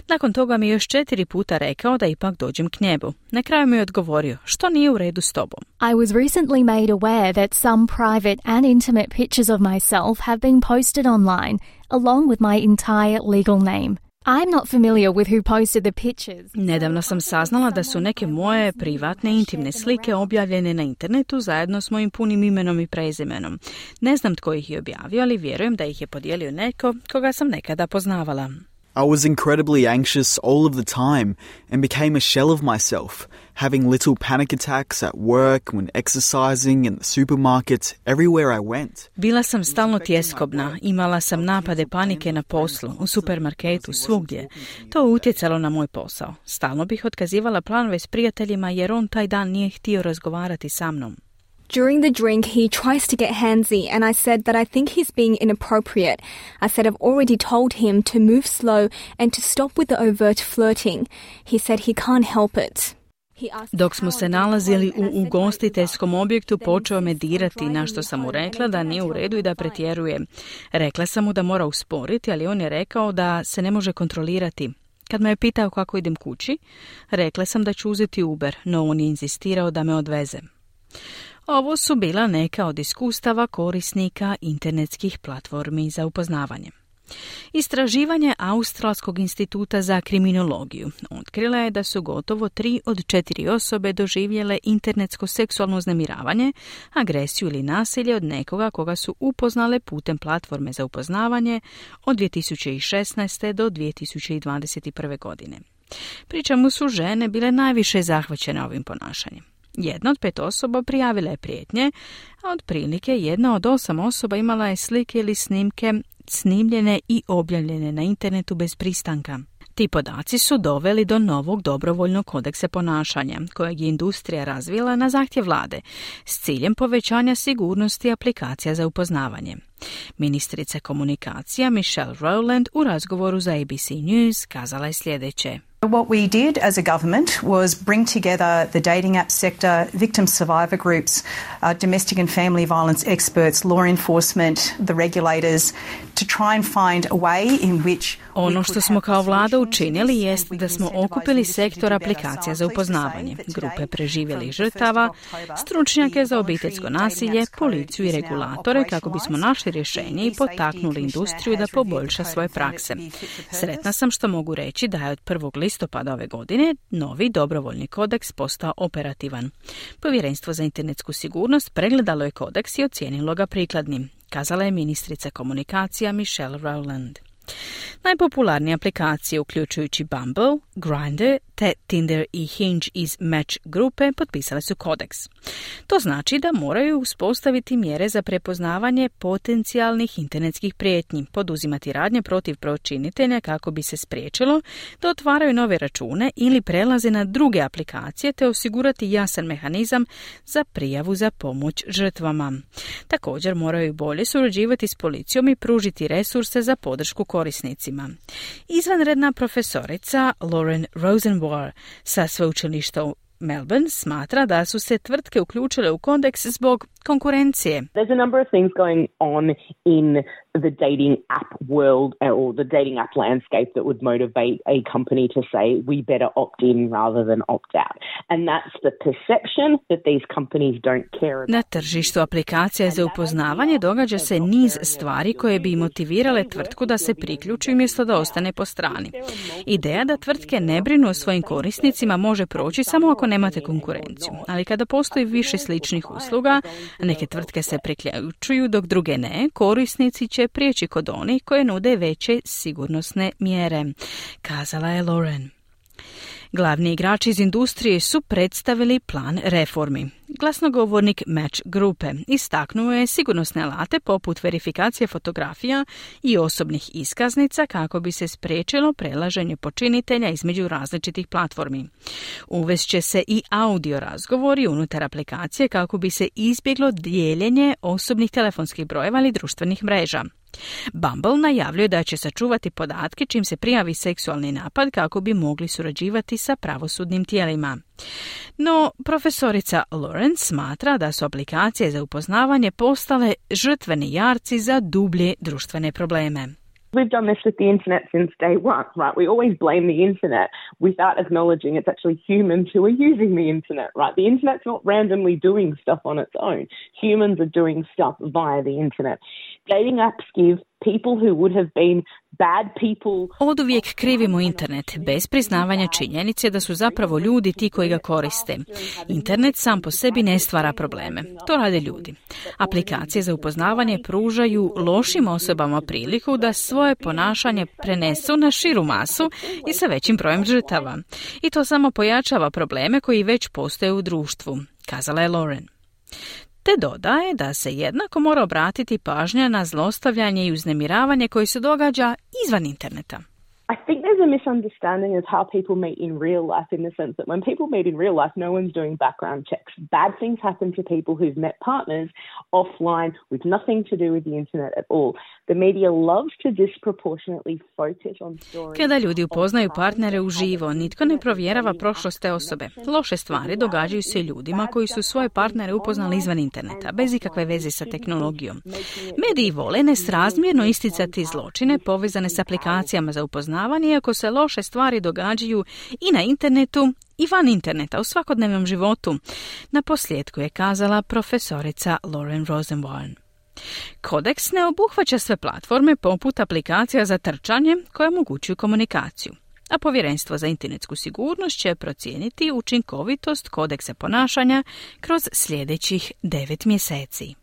Nakon toga mi je još četiri puta rekao da ipak dođem k njemu. Na kraju mi je odgovorio, što nije u redu s tobom. I was recently made aware that some private and intimate pictures of myself have been posted online, along with my entire legal name. I'm not familiar with who posted the pictures. Nedavno sam saznala da su neke moje privatne intimne slike objavljene na internetu zajedno s mojim punim imenom i prezimenom. Ne znam tko ih je objavio, ali vjerujem da ih je podijelio neko koga sam nekada poznavala. I was incredibly anxious all of the time and became a shell of myself, having little panic attacks at work, when exercising, in the supermarket, everywhere I went. Bila sam stalno tjeskobna, imala sam napade panike na poslu, u supermarketu, svugdje. To je utjecalo na moj posao. Stalno bih otkazivala planove s prijateljima jer on taj dan nije htio razgovarati sa mnom. During the drink, he tries to get handsy, and I said that I think he's being inappropriate. I said I've already told him to move slow and to stop with the overt flirting. He said he can't help it. Dok smo se nalazili u ugostiteljskom objektu, počeo me dirati, na što sam mu rekla da nije u redu i da pretjeruje. Rekla sam mu da mora usporiti, ali on je rekao da se ne može kontrolirati. Kad me je pitao kako idem kući, rekla sam da ću uzeti Uber, no on je inzistirao da me odveze. Ovo su bila neka od iskustava korisnika internetskih platformi za upoznavanje. Istraživanje Australskog instituta za kriminologiju otkrila je da su gotovo tri od četiri osobe doživjele internetsko seksualno uznemiravanje, agresiju ili nasilje od nekoga koga su upoznale putem platforme za upoznavanje od dvije tisuće šesnaeste. do dvije tisuće dvadeset prve. godine. Pri čemu su žene bile najviše zahvaćene ovim ponašanjem. Jedna od pet osoba prijavila je prijetnje, a otprilike jedna od osam osoba imala je slike ili snimke snimljene i objavljene na internetu bez pristanka. Ti podaci su doveli do novog dobrovoljnog kodeksa ponašanja, kojeg je industrija razvila na zahtjev vlade, s ciljem povećanja sigurnosti aplikacija za upoznavanje. Ministrica komunikacija Michelle Rowland u razgovoru za A B C News kazala je sljedeće. What we did as a government was bring together the dating app sector, victim survivor groups, uh, domestic and family violence experts, law enforcement, the regulators, to try and find a way in which Ono što smo kao vlada učinili jest da smo okupili sektor aplikacija za upoznavanje, grupe preživjelih žrtava, stručnjake za obiteljsko nasilje, policiju i regulatore kako bismo našli rješenje i potaknuli industriju da poboljša svoje prakse. Sretna sam što mogu reći da je od prvog listopada ove godine novi dobrovoljni kodeks postao operativan. Povjerenstvo za internetsku sigurnost pregledalo je kodeks i ocijenilo ga prikladnim, kazala je ministrica komunikacija Michelle Rowland. Najpopularnije aplikacije, uključujući Bumble, Grindr te Tinder i Hinge iz Match grupe, potpisale su kodeks. To znači da moraju uspostaviti mjere za prepoznavanje potencijalnih internetskih prijetnji, poduzimati radnje protiv počinitelja kako bi se spriječilo da otvaraju nove račune ili prelaze na druge aplikacije te osigurati jasan mehanizam za prijavu za pomoć žrtvama. Također moraju bolje surađivati s policijom i pružiti resurse za podršku korisnicima. Izvanredna profesorica Lauren Rosenwar sa sveučilišta Melbourne smatra da su se tvrtke uključile u kodeks zbog konkurencije. There's a number of things going on in the dating app world or the dating app landscape that would motivate a company to say we better opt in rather than opt out. And that's the perception that these companies don't care about. Na tržištu aplikacija za upoznavanje događa se niz stvari koje bi motivirale tvrtku da se priključi umjesto da ostane po strani. Ideja da tvrtke ne brinu o svojim korisnicima može proći samo ako nemate konkurenciju, ali kada postoji više sličnih usluga, neke tvrtke se priključuju dok druge ne, korisnici će prijeći kod onih koje nude veće sigurnosne mjere, kazala je Lauren. Glavni igrači iz industrije su predstavili plan reformi. Glasnogovornik Match grupe istaknuo je sigurnosne alate poput verifikacije fotografija i osobnih iskaznica kako bi se spriječilo prelaženje počinitelja između različitih platformi. Uvest će se i audio razgovori unutar aplikacije kako bi se izbjeglo dijeljenje osobnih telefonskih brojeva ili društvenih mreža. Bumble najavljuje da će sačuvati podatke čim se prijavi seksualni napad kako bi mogli surađivati sa pravosudnim tijelima. No, profesorica Lawrence smatra da su aplikacije za upoznavanje postale žrtveni jarci za dublje društvene probleme. We've done this with the internet since day one, right? We always blame the internet without acknowledging it's actually humans who are using the internet, right? The internet's not randomly doing stuff on its own. Humans are doing stuff via the internet. Dating apps give people who would have been bad people. Oduvijek krivimo internet bez priznavanja činjenice da su zapravo ljudi ti koji ga koriste. Internet sam po sebi ne stvara probleme. To rade ljudi. Aplikacije za upoznavanje pružaju lošim osobama priliku da svoje ponašanje prenesu na širu masu i sa većim brojem žrtava. I to samo pojačava probleme koji već postoje u društvu, kazala je Lauren. Te dodaje da se jednako mora obratiti pažnja na zlostavljanje i uznemiravanje koje se događa izvan interneta. I think there's a misunderstanding of how people meet in real life, in the sense that when people meet in real life, no one's doing background checks. Bad things happen to people who've met partners offline with nothing to do with the internet at all. The media loves to disproportionately focus on stories. Kada ljudi upoznaju partnere uživo, nitko ne provjerava prošlost te osobe. Loše stvari događaju se ljudima koji su svoje partnere upoznali izvan interneta, bez ikakve veze sa tehnologijom. Mediji vole nesrazmjerno isticati zločine povezane s aplikacijama za upoznavanje, iako se loše stvari događaju i na internetu i van interneta u svakodnevnom životu. Na posljedku je kazala profesorica Lauren Rosenborn. Kodeks ne obuhvaća sve platforme poput aplikacija za trčanje koje omogućuju komunikaciju, a Povjerenstvo za internetsku sigurnost će procijeniti učinkovitost kodeksa ponašanja kroz sljedećih devet mjeseci.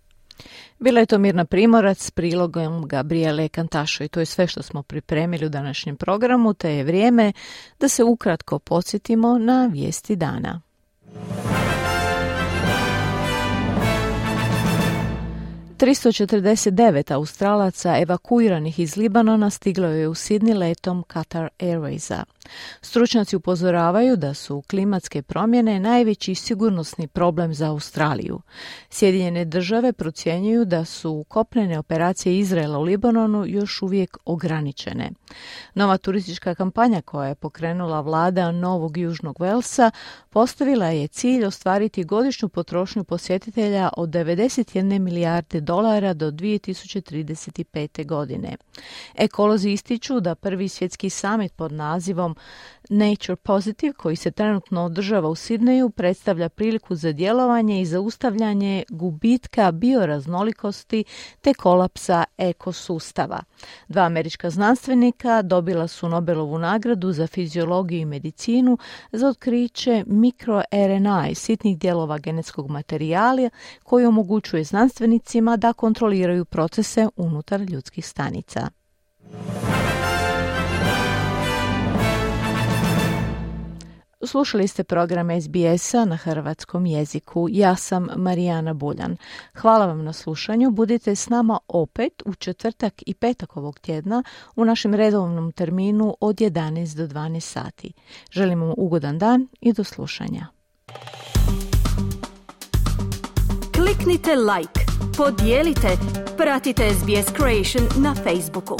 Bila je to Mirna Primorac s prilogom Gabriele Kantašo i to je sve što smo pripremili u današnjem programu, te je vrijeme da se ukratko podsjetimo na vijesti dana. tristo četrdeset devet Australaca evakuiranih iz Libanona stiglo je u Sidney letom Qatar Airwaysa. Stručnjaci upozoravaju da su klimatske promjene najveći sigurnosni problem za Australiju. Sjedinjene države procjenjuju da su kopnene operacije Izraela u Libanonu još uvijek ograničene. Nova turistička kampanja koja je pokrenula vlada Novog Južnog Velsa postavila je cilj ostvariti godišnju potrošnju posjetitelja od devedeset jedne milijarde dolara do dvije tisuće trideset pete. godine. Ekolozi ističu da prvi svjetski samit pod nazivom Nature Positive, koji se trenutno održava u Sidneju, predstavlja priliku za djelovanje i zaustavljanje gubitka bioraznolikosti te kolapsa ekosustava. Dva američka znanstvenika dobila su Nobelovu nagradu za fiziologiju i medicinu za otkriće mikroer en a, sitnih dijelova genetskog materijala koji omogućuje znanstvenicima da kontroliraju procese unutar ljudskih stanica. Slušali ste program es be es-a na hrvatskom jeziku. Ja sam Marijana Buljan. Hvala vam na slušanju. Budite s nama opet u četvrtak i petak ovog tjedna u našem redovnom terminu od jedanaest do dvanaest sati. Želimo vam ugodan dan i do slušanja. Kliknite like, podijelite, pratite es be es Creation na Facebooku.